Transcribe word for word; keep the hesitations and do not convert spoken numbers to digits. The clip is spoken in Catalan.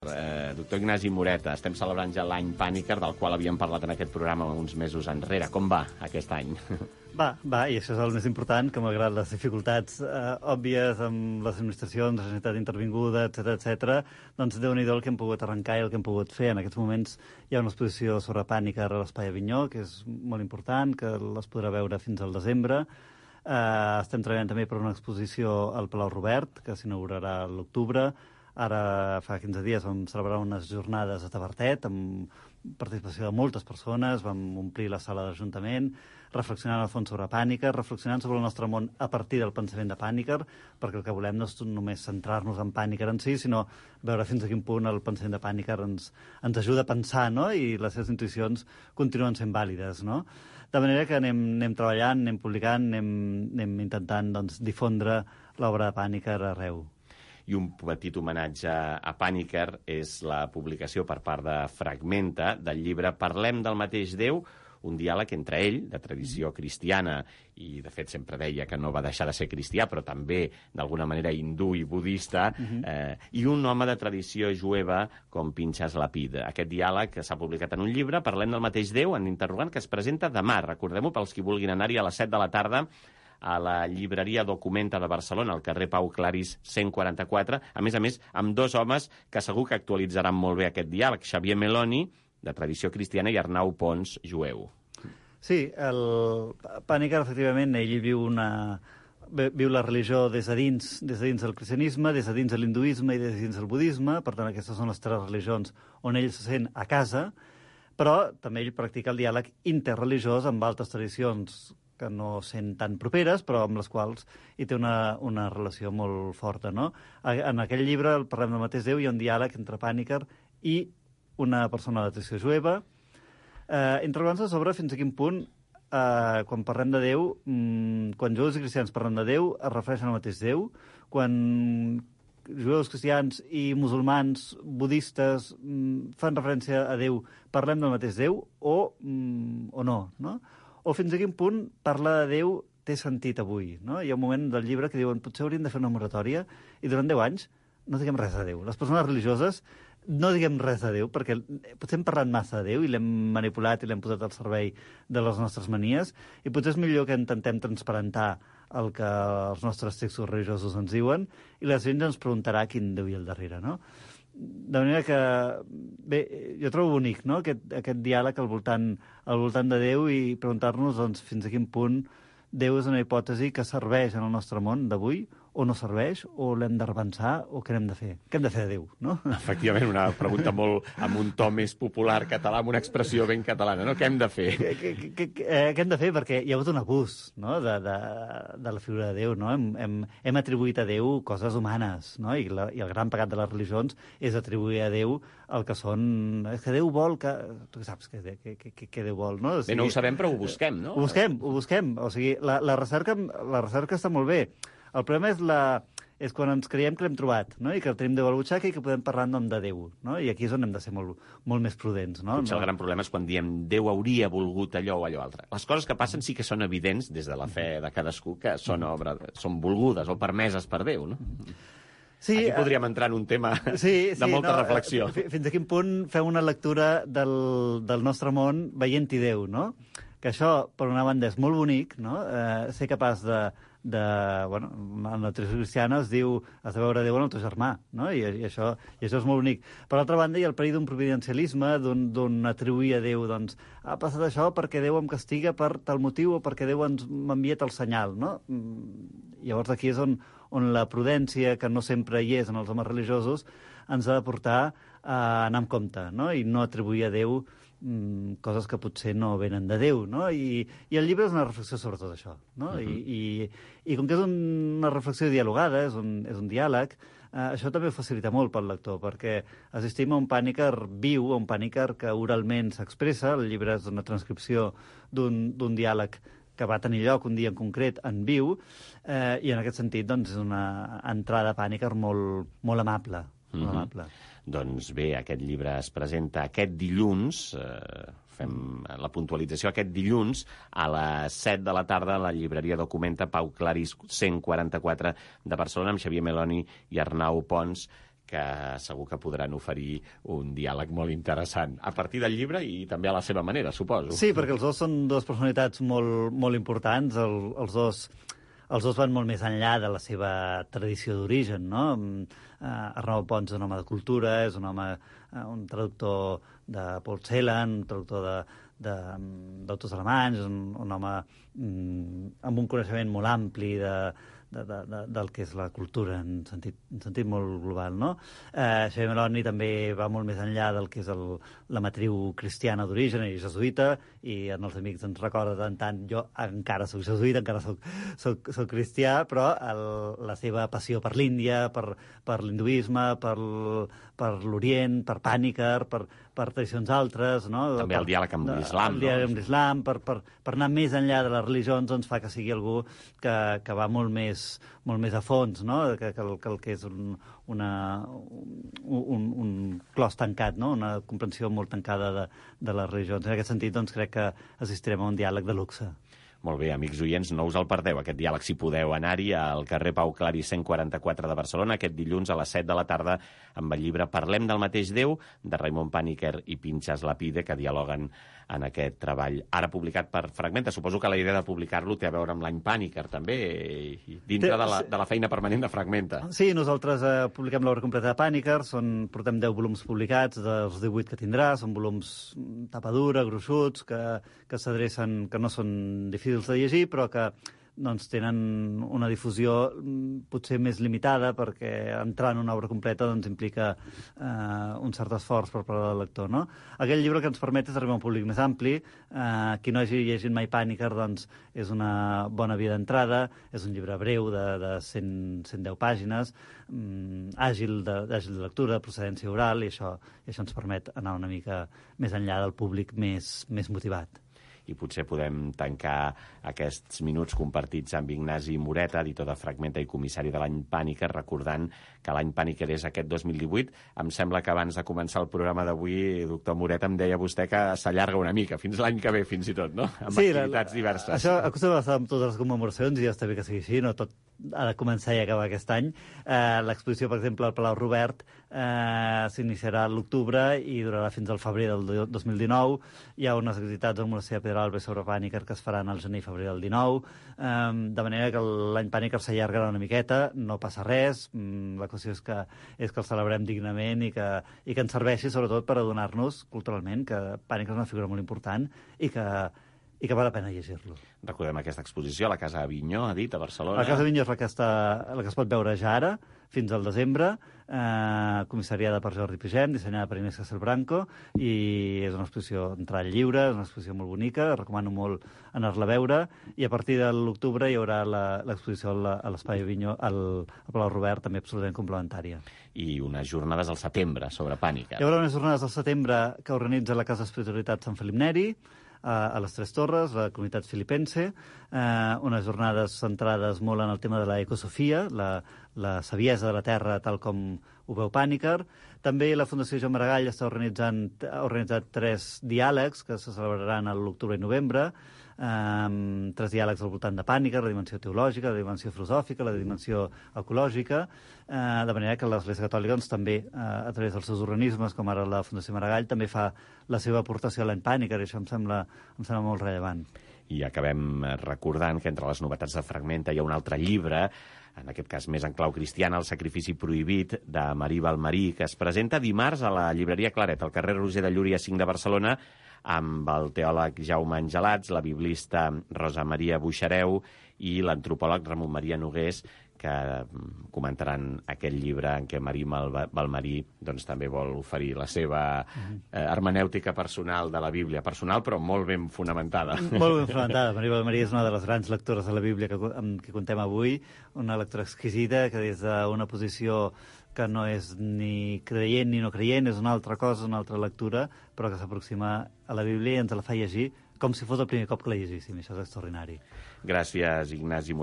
Eh, doctor Ignasi Moreta, estem celebrant ja l'any Pàniker, del qual havíem parlat en aquest programa uns mesos enrere. Com va aquest any? Va, va, i això és el més important, que malgrat les dificultats eh, òbvies amb les administracions, la societat intervinguda, etcètera, etcètera, doncs Déu-n'hi-do el que hem pogut arrencar i el que hem pogut fer. En aquests moments hi ha una exposició sobre Pàniker a l'Espai Avinyó, que és molt important, que les podrà veure fins al desembre. Eh, estem treballant també per una exposició al Palau Robert, que s'inaugurarà a l'octubre. Ara, fa quinze dies, vam celebrar unes jornades a Tavertet amb participació de moltes persones, vam omplir la sala de l'Ajuntament, reflexionant a fons sobre Pàniker, reflexionant sobre el nostre món a partir del pensament de Pàniker, perquè el que volem no és només centrar-nos en Pàniker en si, sinó veure fins a quin punt el pensament de Pàniker ens, ens ajuda a pensar, no? I les seves intuïcions continuen sent vàlides, no? De manera que anem, anem treballant, anem publicant, anem, anem intentant doncs, difondre l'obra de Pàniker arreu. I un petit homenatge a Pàniker és la publicació per part de Fragmenta del llibre Parlem del mateix Déu, un diàleg entre ell, de tradició cristiana, i de fet sempre deia que no va deixar de ser cristià, però també d'alguna manera hindú i budista, uh-huh. eh, i un home de tradició jueva com Pinchas Lapid. Aquest diàleg que s'ha publicat en un llibre, Parlem del mateix Déu, en interrogant, que es presenta demà. Recordem-ho pels qui vulguin anar-hi a les set de la tarda, a la llibreria Documenta de Barcelona, al carrer Pau Claris cent quaranta-quatre, a més a més, amb dos homes que segur que actualitzaran molt bé aquest diàleg, Xavier Meloni, de tradició cristiana, i Arnau Pons, jueu. Sí, el Pàniker, efectivament, ell viu una... viu la religió des de dins, des de dins del cristianisme, des de dins de l'hinduisme i des de dins del budisme, per tant, aquestes són les tres religions on ell se sent a casa, però també ell practica el diàleg interreligiós amb altres tradicions que no sent tan properes, però amb les quals hi té una, una relació molt forta, no? En aquell llibre, el Parlem del mateix Déu, hi ha un diàleg entre Pàniker i una persona de tradició jueva, eh, interrogant-se sobre fins a quin punt, eh, quan parlem de Déu, mmm, quan jueus i cristians parlen de Déu, es refereixen al mateix Déu, quan jueus, cristians i musulmans, budistes, mmm, fan referència a Déu, parlem del mateix Déu, o, mmm, o no, no? O fins a quin punt parlar de Déu té sentit avui, no? Hi ha un moment del llibre que diuen potser hauríem de fer una moratòria i durant deu anys no diguem res de Déu. Les persones religioses no diguem res de Déu perquè potser hem parlat massa de Déu i l'hem manipulat i l'hem posat al servei de les nostres manies i potser és millor que intentem transparentar el que els nostres textos religiosos ens diuen i la gent ens preguntarà quin Déu hi ha al darrere, no? De manera que, bé, jo trobo bonic, no?, aquest, aquest diàleg al voltant, al voltant de Déu i preguntar-nos doncs, fins a quin punt Déu és una hipòtesi que serveix en el nostre món d'avui o no serveix, o l'hem de repensar, o què hem de fer? Què hem de fer de Déu, no? Efectivament, una pregunta molt amb un to més popular català, amb una expressió ben catalana, no? Què hem de fer? Què, què, què, eh, què hem de fer? Perquè hi ha hagut un abús, no?, de, de, de la figura de Déu, no? Hem, hem, hem atribuït a Déu coses humanes, no? I, la, I el gran pecat de les religions és atribuir a Déu el que són... És que Déu vol que... Tu saps què, què, què, què Déu vol, no? O sigui, bé, no ho sabem, però ho busquem, no? Ho busquem, ho busquem. O sigui, la, la, recerca, la recerca està molt bé. El problema és, la, és quan ens creiem que l'hem trobat, no? I que tenim Déu a la butxaca i que podem parlar en nom de Déu, no? I aquí és on hem de ser molt, molt més prudents, no? Potser no? el gran problema és quan diem Déu hauria volgut allò o allò altre. Les coses que passen sí que són evidents des de la fe de cadascú, que són, obra, són volgudes o permeses per Déu, no? Sí, aquí podríem entrar en un tema sí, sí, de molta no, reflexió. Fins a quin punt fem una lectura del, del nostre món veient-hi Déu, no? Que això, per una banda, és molt bonic, no? Eh, ser capaç de, de... Bueno, en la tradició cristiana es diu has de veure Déu en el teu germà, no? I, i, això, i això és molt bonic. Per l'altra banda, hi ha el perill d'un providencialisme, d'un atribuir a Déu, doncs, ha passat això perquè Déu em castiga per tal motiu o perquè Déu ens m'envia tal senyal, no? Llavors aquí és on, on la prudència, que no sempre hi és en els homes religiosos, ens ha de portar a anar amb compte, no? I no atribuir a Déu coses que potser no venen de Déu, no? I, i el llibre és una reflexió sobre tot això, no? Uh-huh. I, i, I com que és una reflexió dialogada, és un, és un diàleg, eh, això també ho facilita molt pel lector, perquè assistim a un Pàniker viu, a un Pàniker que oralment s'expressa, el llibre és una transcripció d'un diàleg que va tenir lloc un dia en concret en viu, eh, i en aquest sentit doncs, és una entrada Pàniker molt, molt amable, molt mm-hmm. amable. Doncs bé, aquest llibre es presenta aquest dilluns, eh, fem la puntualització, aquest dilluns a les set de la tarda a la llibreria Documenta Pau Claris cent quaranta-quatre de Barcelona amb Xavier Meloni i Arnau Pons, que segur que podran oferir un diàleg molt interessant, a partir del llibre i també a la seva manera, suposo. Sí, perquè els dos són dues personalitats molt, molt importants, el, els dos... Els dos van molt més enllà de la seva tradició d'origen, no? Uh, Arnau Pons és un home de cultura, és un home, uh, un traductor de Paul Celan, un traductor de, de, d'autors alemanys, un, un home um, amb un coneixement molt ampli de, de, de, de, del que és la cultura en sentit, en sentit molt global, no? Eh, Xavier Meloni també va molt més enllà del que és el, la matriu cristiana d'origen i jesuïta, i en els amics ens recorda tant tant, jo encara soc jesuïta, encara soc, soc, soc cristià, però el, la seva passió per l'Índia, per, per l'hinduisme, per, per l'Orient, per Pàniker, per, per tradicions altres, no? També per, el diàleg amb l'islam, no? El diàleg amb l'islam, per, per, per anar més enllà de les religions, doncs fa que sigui algú que, que va molt més, molt més a fons, no? Que, que, el, que el que és un, una, un, un clos tancat, no? Una comprensió molt tancada de, de les religions. En aquest sentit, doncs, crec que assistirem a un diàleg de luxe. Molt bé, amics oients, no us el perdeu, aquest diàleg, si podeu anar-hi al carrer Pau Clari cent quaranta-quatre de Barcelona, aquest dilluns a les set de la tarda, amb el llibre Parlem del mateix Déu, de Raimon Pàniker i Pinchas Lapide, que dialoguen en aquest treball, ara publicat per Fragmenta. Suposo que la idea de publicar-lo té a veure amb l'any Pàniker, també, dintre de la, de la feina permanent de Fragmenta. Sí, nosaltres eh, publiquem l'obra completa de Pàniker, són, portem deu volums publicats, dels divuit que tindrà, són volums tapa dura, gruixuts, que, que s'adrecen, que no són difícils de llegir, però que doncs, tenen una difusió potser més limitada, perquè entrar en una obra completa doncs, implica eh, un cert esforç per part del lector. No? Aquell llibre que ens permet és arribar a un públic més ampli. Eh, qui no hagi llegit mai Pàniker doncs, és una bona via d'entrada, és un llibre breu de, de cent, cent deu pàgines, mm, àgil, de, àgil de lectura, de procedència oral, i això, i això ens permet anar una mica més enllà del públic més, més motivat. I potser podem tancar aquests minuts compartits amb Ignasi Moreta, editor de Fragmenta i comissari de l'any Pàniker, recordant que l'any Pàniker és aquest dos mil divuit. Em sembla que abans de començar el programa d'avui, doctor Moreta, em deia vostè que s'allarga una mica, fins l'any que ve, fins i tot, no? Amb sí, activitats la, la, diverses. Això acostuma a estar amb totes les commemoracions i ja està bé que sigui així, no tot ha de començar i acabar aquest any. Eh, L'exposició, per exemple, al Palau Robert eh, s'iniciarà a l'octubre i durarà fins al febrer del dos mil dinou. Hi ha unes activitats al Monestir de Pedralbes sobre Pàniker que es faran al gener i febrer del dinou, eh, de manera que l'any Pàniker s'allargarà una miqueta, no passa res, la qüestió és que, és que el celebrem dignament i que, i que ens serveixi sobretot per adonar-nos culturalment que Pàniker és una figura molt important i que i que val la pena llegir-lo. Recordem aquesta exposició a la Casa Avinyó, ha dit, a Barcelona. La Casa Avinyó és la que, està, la que es pot veure ja ara, fins al desembre, eh, comissariada per Jordi Pigem, dissenyada per Inés Castelbranco, i és una exposició d'entrada lliure, és una exposició molt bonica, recomano molt anar-la a veure, i a partir de l'octubre hi haurà l'exposició a l'Espai Avinyó, al, al Palau Robert, també absolutament complementària. I unes jornades al setembre sobre Pàniker. Hi haurà unes jornades al setembre que organitza la Casa Espiritualitat Sant Felip Neri, a les Tres Torres, la comunitat filipense, eh, unes jornades centrades molt en el tema de la ecosofia, la, la saviesa de la Terra tal com ho veu Pàniker. També la Fundació Joan Maragall està organitzant, ha organitzat tres diàlegs que se celebraran a l'octubre i novembre, Um, tres diàlegs al voltant de Pàniker, la dimensió teològica, la dimensió filosòfica, la dimensió ecològica, uh, de manera que l'Església Catòlica doncs, també, uh, a través dels seus organismes, com ara la Fundació Maragall, també fa la seva aportació a l'any Pàniker, i això em sembla, em sembla molt rellevant. I acabem recordant que entre les novetats de Fragmenta hi ha un altre llibre, en aquest cas més en clau cristiana, El sacrifici prohibit, de Marí Balmarí, que es presenta dimarts a la llibreria Claret, al carrer Roger de Llúria cinc de Barcelona, amb el teòleg Jaume Angelats, la biblista Rosa Maria Buixareu i l'antropòleg Ramon Maria Nogués, que comentaran aquest llibre en què Marí Balmarí doncs, també vol oferir la seva eh, hermenèutica personal de la Bíblia. Personal, però molt ben fonamentada. Molt ben fonamentada. Marí Balmarí és una de les grans lectores de la Bíblia que, amb què contem avui, una lectora exquisida que des d'una posició que no és ni creient ni no creient, és una altra cosa, una altra lectura, però que s'aproxima a la Bíblia i ens la fa llegir com si fos el primer cop que la llegíssim. Això és extraordinari. Gràcies, Ignasi.